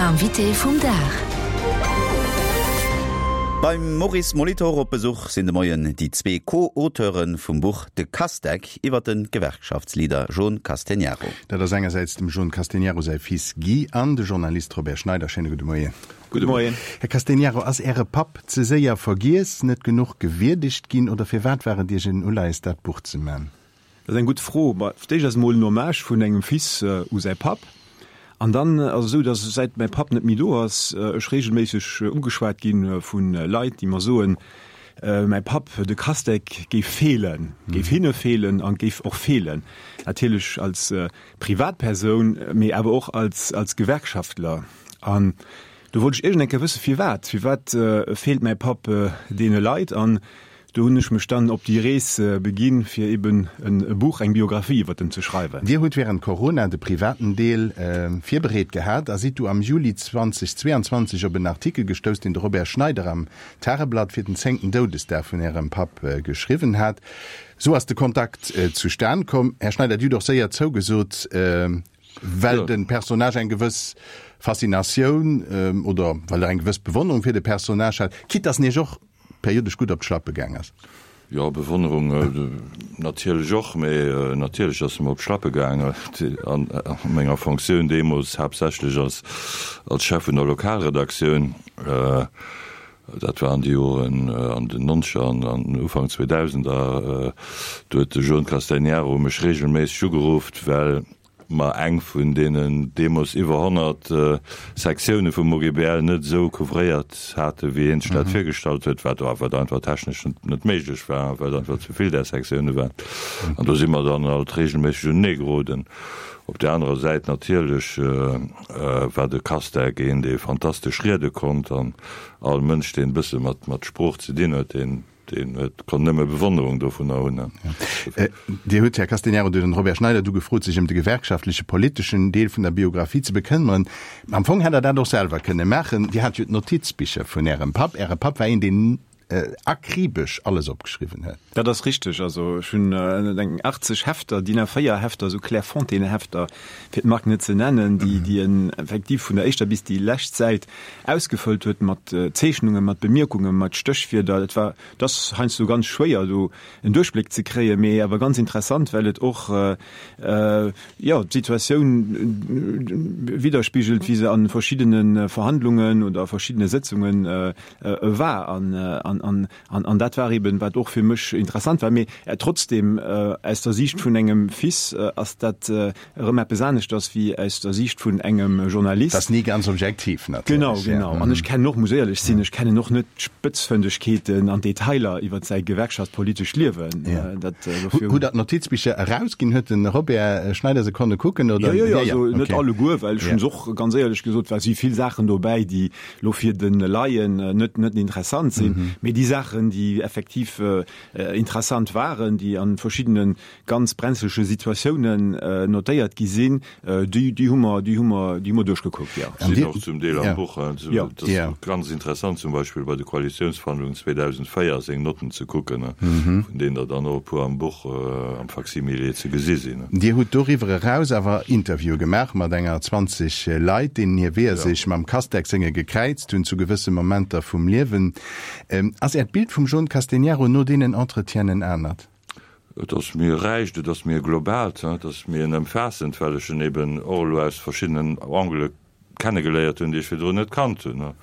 Invité vum Dag. Beim Maurice Molitor op Besuch sinn de Moien déi zwee Co-Auteure vum Buch De Castec iwwer de Gewerkschaftsleader Jon Castegnaro. Dat ass engersäits dem Jon Castegnaro säi Fils Guy an de Journalist Robert Schneider. Schéine gudde Moien. Gudde Moien. Här Castegnaro, ass Äre Papp ze séier vergiess, net genuch gewierdegt ginn oder firwat war et Iech en Uleies dat Buch ze man? Dat ass eng gutt Fro. Ma fir d'éischt ass et emol en Hommage vun engem Fils u säi Papp. An dann ass et esou, datt säit mäi Papp net méi do ass, ech reegelméisseg ugeschwat gi vu Leit, déi mer soen, mäi Papp, de Castec, géif feelen, géif hinne feelen an géif och feelen. Natierlech als Privatpersoun, mee awer och als als Gewerkschaftler. An do wollt ech iergend eng Kéier wësse firwat. Firwat feelt mäi Papp deene Leit? An Do hunn ech mech dann op déi Rees beginn, fir eben e Buch, eng Biographie iwwert en ze schreiwen. Dir hutt während Corona de privaten Deel virbereet gehat a sidd du am Juli 2022 op en Artikel gestouss, deen de Robert Schneider am Tageblatt fir den zéngten Doudesdag vun Ärem Papp geschriwwen hat. Sou ass de Kontakt zustan komm. Här Schneider, Dir hutt och séier zougesot, well de Personnage eng gewëss Faszinatioun oder well Der eng gewëss Bewonnerung fir de Personnage hat, quitte dass en Iech och periodesch gutt op d'Schlappe gaang ass. Jo, Bewonnerung natierlech och, mee natierlech ass se mer op d'Schlappe gaang an menger Fonctioun deemools haaptsächlech als als Chef vun der Lokalredaktioun. Dat war an de Joren an den Nonzeger an an Ufank Zweedausender. Do huet de Jon Castagnaro mech reegelméisseg ugerufft, well mer eng vun deenen deemools iwwer 100 Sektioune vum OGBL net esou couvréiert haten, wéi hien sech dat virgestallt huet, wat wat einfach technesch net méiglech war, well et einfach ze vill där Sektioune waren. An do si mer dann alt reegelméisseg unenee geroden. Op där anerer Säit natierlech war de Castec een, dee fantastesch riede konnt an all Mënsch, deen e bësse mat Sprooch ze dinn huet, deen Deen huet, konnt nëmme Bewonnerung dovunner hunn. Dir hutt, Här Castegnaro, den Robert Schneider du gefrot, sech ëm de gewerkschaftleche politeschen Deel vun der Biographie ze bekëmmeren. Am Fong hätt Der dat och selwer kënne maachen. Dir hat jo d'Notizbicher vun Ärem Papp. Äre Papp war een, deen akribesch alles opgeschriwwen huet. Dat ass richteg. Also ech hunn eng 80 Hefter, DIN A4 Hefter, esou Clairefontaine-Hefter, fir d'Mark net ze nennen, déi, déi en effektiv vun der éischter bis déi lescht Säit ausgefëllt huet mat Zeechnungen, mat Bemierkungen, mat Stéchwierder. Et war, et ass heiansdo ganz schwéier do en Duerchbléck ze kréien, mee awer ganz interessant, well et och, jo, d'Situatioun widderspigelt, wéi se a verschiddene Verhandlungen oder a verschiddene Sëtzunge war. An, an dat war eben, wat och fir mech interessant war. Mee trotzdem, aus der Siicht vun engem Fils ass dat erëm eppes aneschters wéi aus der Siicht vun engem Journalist. Dat ass ni ganz objektiv natierlech. Genau, genau. An ech kennen och, muss éierlech sinn, ech kennen och net d'Spëtzfëndegkeeten an d'Detailer iwwer säi gewerkschaftspolitescht Liewen. Dat dofir. Hutt Der d'Notizbicher erausginn? Huet de Robert Schneider se konne kucken, oder? Jo, jo, jo, also net alleguer, well ech hunn se och, ganz éierlech gesot, well si vill Saachen dobäi, déi elo fir de Laien net net interessant sinn, mee déi Saachen, déi effektiv interessant waren, déi a verschiddene ganz brenzlege Situatiounen notéiert gi sinn, déi, déi hu mer, déi hu mer, déi hu mer duerchgekuckt, jo. Sinn och zum Deel am Buch. Et ass ganz interessant zum Beispill bei de Koalitiounsverhandlungen 2004 seng Notten ze kucken, vun deenen der dann och e puer am Buch am Facsimilé ze gesi sinn. Dir hutt doriwwer eraus awer Interviewe gemaach mat enger 20 Leit, deenen hir Weeër sech mam Castec senge gekräizt hunn zu gewësse Momenter vum Liewen. Ass Äert Bild vum Jon Castegnaro no deenen Entretienen en anert? Et ass méi e räicht, et ass méi e globaalt, et ass méi en ëmfaassend, well ech en eben och elo aus verschiddenen Angele kennegeléiert hunn, déi ech virdrun net kannt hunn.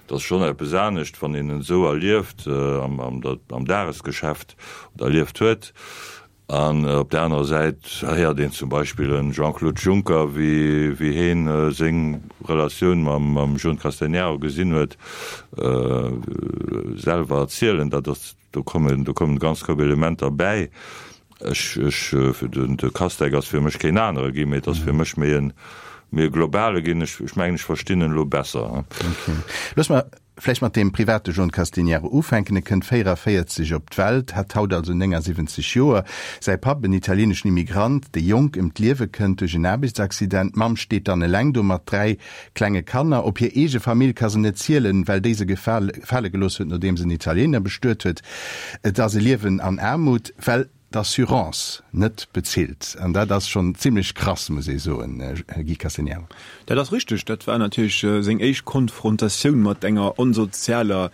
Et ass schonn eppes anescht, wann een en esou erlieft am Dagesgeschäft oder erlieft huet. An op där anerer Säit héiert een zum Beispill e Jean-Claude Juncker, wéi heen seng Relatioun mam Jon Castagnaro gesinn huet, selwer erzielen. Dat ass Do kommen, do kommen e ganz Koup Elementer bäi. Ech, ech, den, de Castec ass fir mech keen anere ginn, mee et ass fir mech méi en, méi e globale ginn. Ech, ech mengen, ech verstinn en elo besser. Okay. Looss mer vläicht mat deem private Jon Castagnaro ufänken. E kënnt 44 op d'Welt, hätt haut also 79 Joer. Säi Papp, en italieeneschen Immigrant, dee jonk ëm d'Liewe kënnt duerch en Aarbechtsaccident. D'Mamm steet dann eleng do mat 3 Klenge Kanner. Op hir eege Famill ka se net zielen, well déi se gefale gelooss huet, nodeem se en Italiener bestuet huet. Et ass e Liewen an Aarmut, well. d'Assurance net bezilt. An dat ass schonn zimlech krass, muss ee soen, Guy Castegnaro. Dat ass richteg. Dat war natierlech seng éischt Konfrontatioun mat enger onsozialer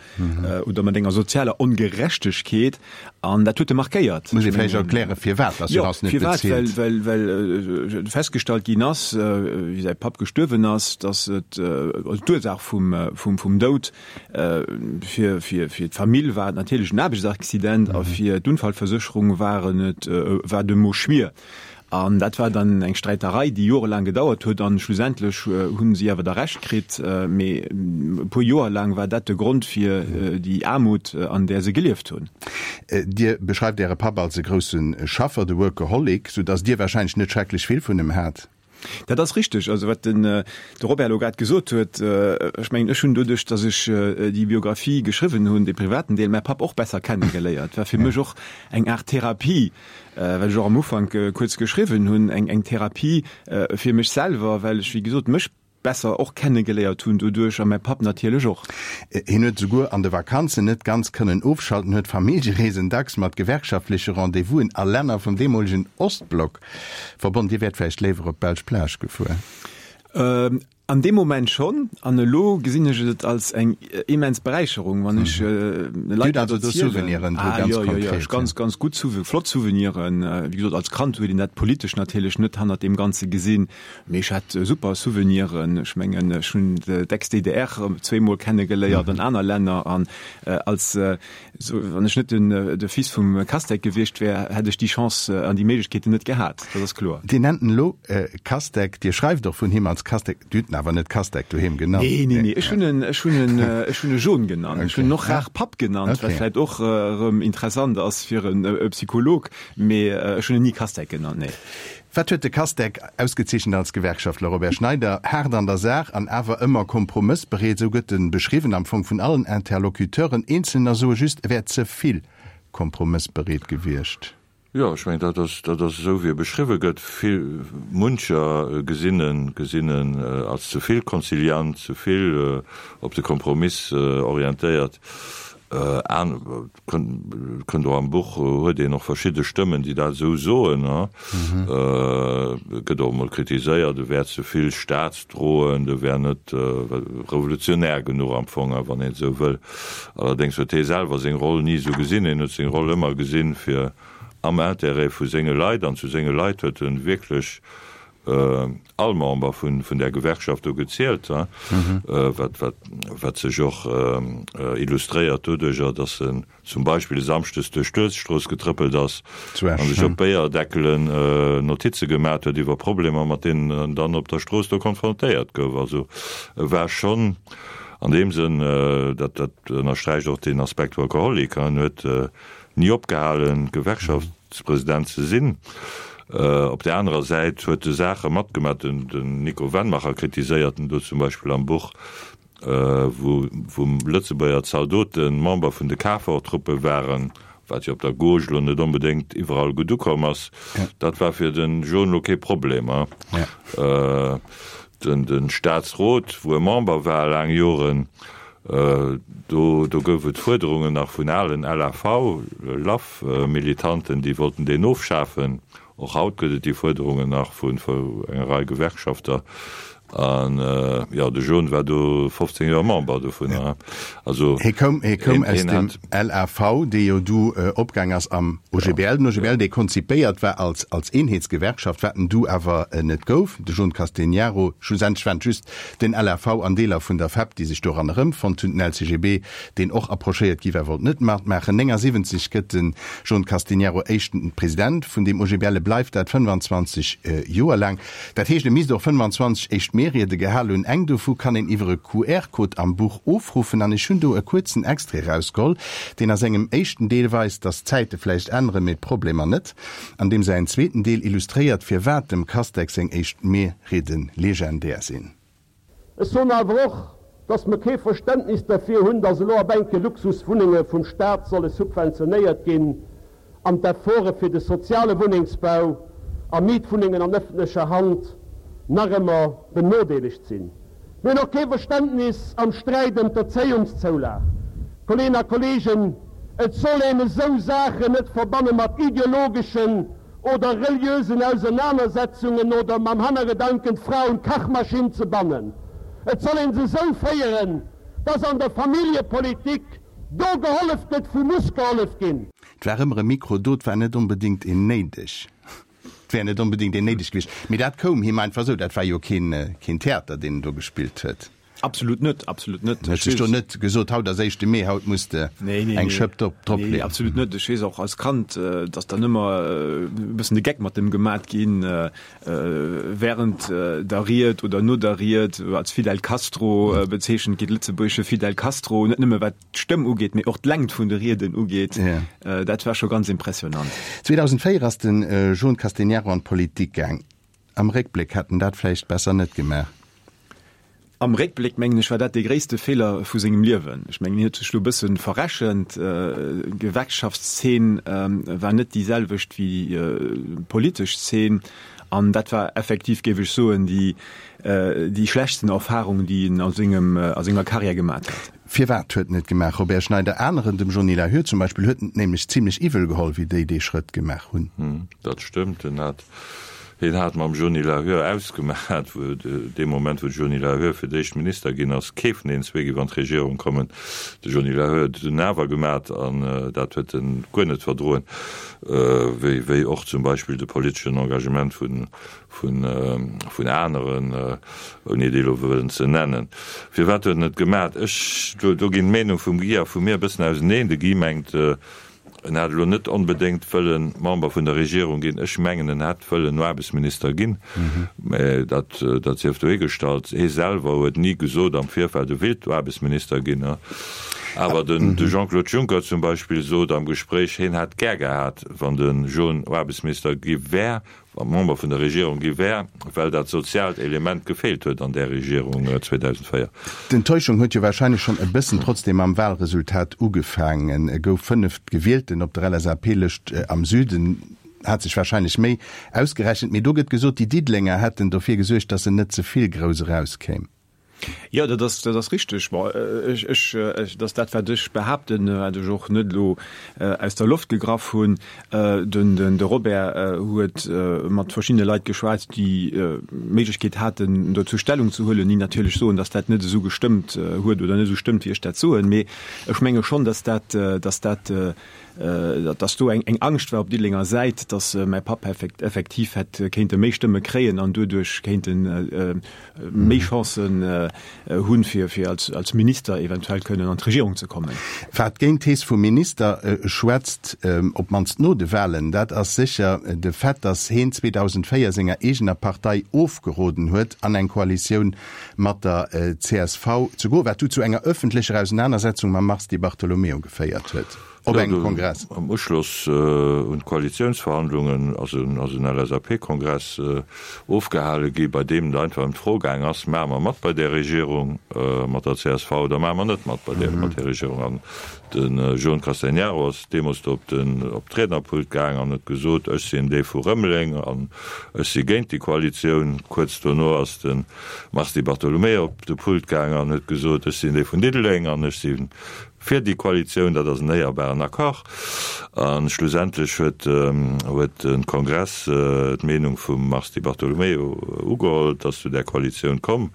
oder mat enger sozialer Ongerechtegkeet an dat huet e markéiert. Muss ee vläicht erklären, firwat d'Assurance net bezilt. Jo, firwat? Well, well festgestallt ginn ass, wéi säi Papp gestuerwen ass, datt et, also d'Ursaach vum, vum, vum Doud fir, fir, fir d'Famill war et natierlech en Aarbechtsaccident a fir d'Unfallversécherung waren et, war de Mo Schmier. An dat war dann eng Sträiterei, déi jorelaang gedauert huet an schlussendlech hu si awer da Recht kritt. Mee e puer Joer laang war dat de Grond fir déi Aarmut, an där se gelieft hunn. Dir beschreift Äre Papp als e grousse Schaffer, de Workaholic, sou datt Dir warscheinlech net schrecklech vill vun em hat. Dat ass richteg. Also wat den de Robert elo grad gesot huet, ech mengen, ech hunn doduerch, datt ech déi Biographie geschriwwen hunn, dee privaten Deel, mäi Papp och besser kennegeléiert. War fir mech och eng Aart Therapie, wat ech och am Ufank kuerz geschriwwen hunn, eng eng Therapie fir mech selwer, well ech, wéi gesot, mech besser och kennegeléiert hunn doduerch a mäi Papp natierlech och. Hien huet esouguer an de Vakanzen net ganz kënnen ofschalten, huet Familljereesen dacks mat gewerkschaftleche Rendez-vousen a Länner vum deemolegen Ostblock verbonnen. Dir wäert vläicht léiwer op d'belsch Plage gefuer? An deem Moment schonn, an elo gesinn ech et als eng immens Beräicherung, wann ech Leit dat erzielen. Ah jo, jo, jo, ech ganz, ganz gutt Souve, flott Souveniren. Wéi gesot, als Kand huet een dat politesch natierlech net hannert deem Ganze gesinn, mee ech hat super Souveniren. Ech mengen, ech hunn d'Ex-DDR zweemol kennegeléiert an aner Länner an als Sou, wann ech net den de Fils vum Castec gewiescht wär, hätt ech déi Chance an déi Méiglechkeeten net gehat, dat ass kloer. Dir nennt en elo Castec, Dir schreift och vun him als Castec, Dir hutt en awer net Castec doheem genannt? Nee, nee, nee, ech hunn en, ech hunn en, ech hunn e John genannt. Ech hunn en och rar Papp genannt, wat vläicht och erëm interessant ass fir e Psycholog, mee ech hunn en ni Castec genannt, nee. Wat huet de Castec ausgezeechent als Gewerkschaftler? Robert Schneider, Haart an der Saach an awer ëmmer kompromëssbereet, esou gëtt en beschriwwen, am Fong vun allen Interlocuteuren. Eenzelner soe just, e wär ze vill kompromëssbereet gewiescht. Jo, ech mengen, dat ass, dat ass esou, wéi e beschriwwe gëtt. Vill, muncher gesinn en, gesinn en als ze vill konziliant, ze vill op de Kompromiss orientéiert. An, Kënnt och am Buch, huet een och verschidde Stëmmen, déi dat esou soen. Et gëtt och emol kritiséiert, e wär ze vill staatsdroend, e wär net revolutionär genuch am Fong, wann een et esou wëll. Allerdéngs huet hie selwer seng Roll ni esou gesinn. Hien huet seng Roll ëmmer gesinn, fir am Intérêt vu senge Leit, an zu senge Leit huet e wierklech all Member vun där Gewerkschaft do gezielt, wat sech och illustréiert doduerjer, datt en zum Beispill e Samschdes duerch d'Uelzechtstrooss getrëppelt ass a sech op Béierdeckelen Notize gemat huet iwwer Problemer, mat deenen en dann op der Strooss do konfrontéiert gouf. Also e war schonn an deem Sënn, dat ënnersträicht och deen Aspekt Workaholic, en huet ni opgehalen, Gewerkschaftspresident ze sinn. Op där anerer Säit huet e Saache matgemaach, den Nico Wennmacher kritiséiert en do zum Beispill am Buch, wou Lëtzebuerger Zaldote Member vun de KFOR-Truppe waren, wat jo op der Gauche elo net onbedéngt iwwerall gutt ukomm ass. Dat war fir de John elo kee Problem. Den Staatsrot, wou e Member war laang Joren, do do gouf et Fuerderungen nach vun alen LAV, LAF, Militanten, déi wollten deen ofschafen. Och haut gëtt et déi Fuerderungen nach vun enger Rei Gewerkschafter. An jo, de John war do 15 Joer Member dovunner. Also Hie koum, hie koum aus dem LAV, dee jo du opgaang ass am OGBL. Den OGBL, dee konzipéiert war als als Eenheetsgewerkschaft, wat en du awer net gouf. De John Castegnaro, schlussendlech waren et just den LAV an Deeler vun der FEP, déi sech doran erëmfonnt hunn. Den LCGB, deen och approchéiert gi war, wollt net matmaachen. 79 gëtt de John Castegnaro éischten President vun deem OGBL. E bleift dat 25 Joer laang. Dat heescht, e misst och 25 éischt Mee-Riede gehal hunn. Eng dovu kann een iwwer e QR-Code am Buch ofruffen an ech hunn do e kuerzen Extrait erausgeholl, deen a sengem éischten Deel weist, dass d'Zäite vläicht änneren, mee d'Problemer net, an deem säin zweeten Deel illustréiert, firwat dem Castex seng éischt Mee-Riede legendär sinn. Ech soen awer och, dass mer kee Verständnis derfir hunn, dass elo op enke Luxuswunnenge vum Stat solle subventionéiert ginn an d'Efforte fir de soziale Wunnengsbau a Mietwunnengen an ëffentlecher Hand nach ëmmer benodeelegt sinn. Mir hunn och kee Verständnis am Sträit ëm d'Erzéiungszoulag. Kolleeën a Kolleegen. Et soll een esou Saachen net verbanne mat ideologeschen oder reliösen Ausernanersetzungen oder mam Hannergedanken d'Fra un d'Kachmaschinn ze bannen. Et soll een se esou féieren, dass an der Familljepolitik do gehollef gëtt, wou muss gehollef ginn. Et war ëmmer e Mikro do, et war net onbedéngt een néideg. Et wär net onbedéngt een néideg gewiescht, mee dat koum him einfach esou. Dat war jo keen, keen Theater, deen en do gespillt huet. Absolut net, absolut net. En huet sech do net gesot, haut ass éischte Mee, haut muss de eng Schëpp drop leeën. Nee, absolut net. Ech weess och als Kand, datt dann ëmmer e bëssen de Geck mat em gemat ginn, während der Ried oder no der Ried, als Fidel Castro bezeechent ginn, de lëtzebuergesche Fidel Castro, net nëmme wat d'Stëmm ugeet, mee och d'Längt vun de Rieden ugeet, dat war scho ganz impressionant. 2004 ass de Joon Castegnaro an d'Politik gaang. Am Réckbléck hätt en dat vläicht besser net gemaach. Am Réckbléck mengen ech war dat dee gréisste Feeler vu sengem Liewen. Ech mengen hien huet sech lo e bësse verrechent. D'Gewerkschaftszeen war net déi selwecht wéi d'politesch Zeen an dat war effektiv, géif ech soen, déi déi schlechtsten Erfarung, déi en a sengem a senger Karriär gemat huet. Firwat huet en et gemaach? Robert Schneider, Aneren, dem Johnny Lahur zum Beispill, huet en et nämlech zimlech iwwel geholl, wéi déi dee Schrëtt gemaach hunn. Dat stëmmt. En hat, hien hat mam Johnny Lahur ausgemaat, wou, dee Moment wou de Johnny Lahur fir d'éischt Minister ginn ass, kee vun deenen zwee géif an d'Regierung kommen. De Johnny Lahur huet et dunn awer gemaat an dat huet en guer net verdroen, wéi, wéi och zum Beispill de politeschen Engagement vun, vun aneren, ouni déi elo wëllen ze nennen. Firwat huet en et gemat? Ech, do, do ginn d'Meenung vum Guy a vu mir e bëssen auseneen. De Guy mengt, en hätt elo net onbedéngt wëllen Member vun der Regierung ginn. Ech mengen, en hätt wëllen Aarbechtsminister ginn, mä dat, dat sief dohigestallt. Hie selwer huet ni gesot am Virfeld, e willt Aarbechtsminister ginn. Awer den, de Jean-Claude Juncker zum Beispill sot am Gespréich, hien hätt gär gehat, wann de John Aarbechtsminister gi wär, wa Member vun der Regierung gi wär, well dat soziaalt Element gefeelt huet an där Regierung 2004. D'Enttäuschung huet jo wahrscheinlech schonn e bëssen trotzdem mam Wahlresultat ugefaangen. E gouf Fënneftgewielten op der LSAP-Lëscht am Süden, hat sech wahrscheinlech méi ausgerechent, mee do gëtt gesot, déi Diddelenger hätten dofir gesuergt, datt en net ze vill grouss erauskéim. Jo, dat ass, dat ass richteg. Bon, ech, ech, dat ass dat, wat ech behaapten, wat ech och net elo aus der Loft gegraff hunn. Den, den, de Robert huet mat verschiddene Leit geschwat, déi d'Méiglechkeet haten, dozou Stellung ze huelen, déi natierlech soen, datt dat net esou gestëmmt huet oder net esou stëmmt, wéi ech dat soen. Mee ech menge schonn, datt dat, datt dat, datt do eng, eng Angscht war op Diddelenger Säit, datt mäi Papp effektiv hätt kéinte méi Stëmme kréien an doduerch kéinten méi Chancen hunn, fir fir als als Minister eventuell kënnen an d'Regierung ze kommen. Wat géint d'Thees vum Minister schwätzt, op d'mannst no de Wahlen, dat ass sécher de Fait, datt heen 2004 senger eegener Partei ofgeroden huet, an eng Koalitioun mat der csv ze goen, wat du zu enger ëffentlecher Ausenanersetzung mam Mars Di Bartolomeo geféiert huet. Op engem Kongress. Am Uschloss un d'Koalitiounsverhandlungen ass en LSAP-Kongress ofgehale gi, bei deem et einfach ëm d'Fro gaang ass, Maache mer mat bei där Regierung mat der csv oder maache mer net mat bei där mat där Regierung? An de Joan Castegnaro ass deemools do op den op d'Riednerpult gaang an huet gesot, Ech sinn dee vu Rëmeleng an ech si géint déi Koalitioun. Kuerz dono ass de Mars Di Bartolomeo op de Pult gaang an huet gesot, Ech sinn dee vun Diddeleng an ech si Fir déi Koalitioun, dat ass en éierbaren Accord. A schlussendlech huet huet de Kongress d'Meenung vum Mars Di Bartolomeo ugeholl. Et ass zu där Koalitioun komm.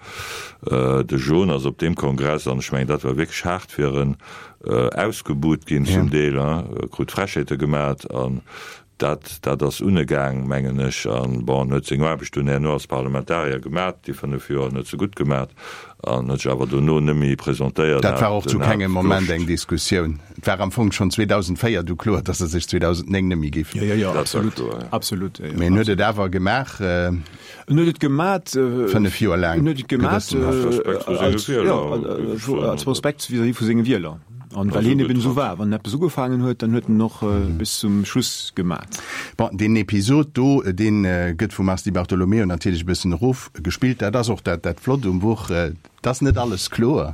De John ass op deem Kongress, an ech mengen, dat war wierklech haart fir en, ausgebuht ginn zum Deel, krut Frechheete gemat. An Dat, dat ass unegaang, mengen ech. An, bon, en huet seng Aarbecht dunn herno als Parlamentarier gemat, déi 5 Joer, en huet se gutt gemat an huet sech awer dono net méi presentéiert. Dat war och zu kengem Moment eng Diskussioun. Et war am Fong schonn 2004 du kloer, datt e sech 2009 net méi géif. Jo, jo, jo, absolut, absolut. Mee en huet et awer gemaach. En huet et gemat. 5 Joer laang. En huet et gemat als, jo, als Respekt vis-à-vis vu senge Wieler. An well hien eben esou war, wann en eppes ugefaangen huet, dann huet en och bis zum Schluss gemat. Bon, deen Episod do, dee gëtt vum Mars Di Bartolomeo natierlech e bëssen erofgespillt. Dat ass och dat, dat Flott um Buch, et ass net alles kloer.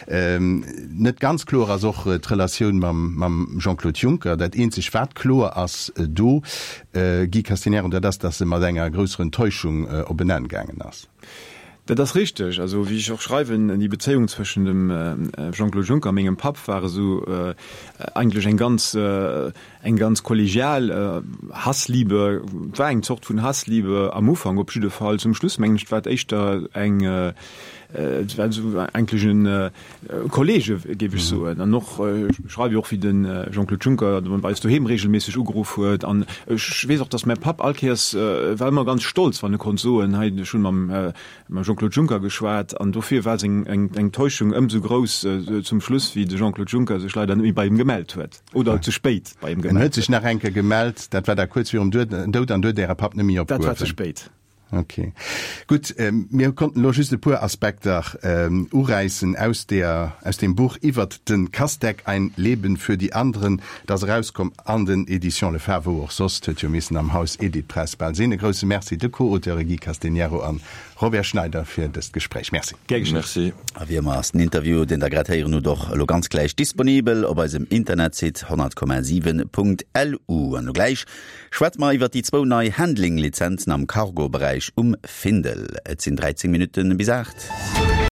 Net ganz kloer ass och d'Relatioun mam, mam Jean-Claude Juncker. Dat eenzeg wat kloer ass do, Guy Castagnaro, dat ass, datt se mat enger grousser Enttäuschung op en Enn gaangen ass. Dat ass richteg. Also wéi ech och schreiwen, déi Bezéiung zwëschen dem Jean-Claude Juncker a mengem Papp war esou eigentlech eng ganz, eng ganz kollegial Hassliebe. Et war eng Zort vun Hassliebe am Ufank op jidde Fall. Zum Schluss mengen ech, war et éischter eng, et war esou eigentlech en Kollege géif ech soen. An och, ech schreiwe jo och wéi de Jean-Claude Juncker bei eis doheem regelméisseg ugeruff huet. An ech weess och, datt mäi Papp all Kéiers war ëmmer ganz stolz, wann e konnt soen, hei ech hunn mam Jean-Claude Juncker geschwat. An dofir war seng Enttäuschung ëmsou grouss zum Schluss, wéi de Jean-Claude Juncker sech leider net méi bei him gemellt huet oder ze spéit bei him gemellt huet. En huet sech nach eng Kéier gemellt, dat war da kuerz virum Doud an du huet Äre Papp net méi opgehuewen. Dat war ze spéit. Ok. Gutt, mir konnten elo just e puer Aspekter uräissen aus deer, aus deem Buch iwwert de Casteck, Ein Leben für die anderen. Et ass erauskomm an den Editions Le Phare, wou och soss, et huet jo missen am Haus Editpress bal sinn. E grousse Merci de Co-Auteure Guy Castegnaro an Robert Schneider fir dëst Gespréich. Merci. Gär geschéngt. Merci. A wéi ëmmer ass den Interview, deen Der grad héieren hutt, och elo ganz gläich disponibel op eisem Internetsite 100,7.lu. An elo gläich Schwätze mer iwwert déi zwou nei Handling-Lizenzen am Cargo-Beräich um Findel. Et sinn 13 Minutte bis 8.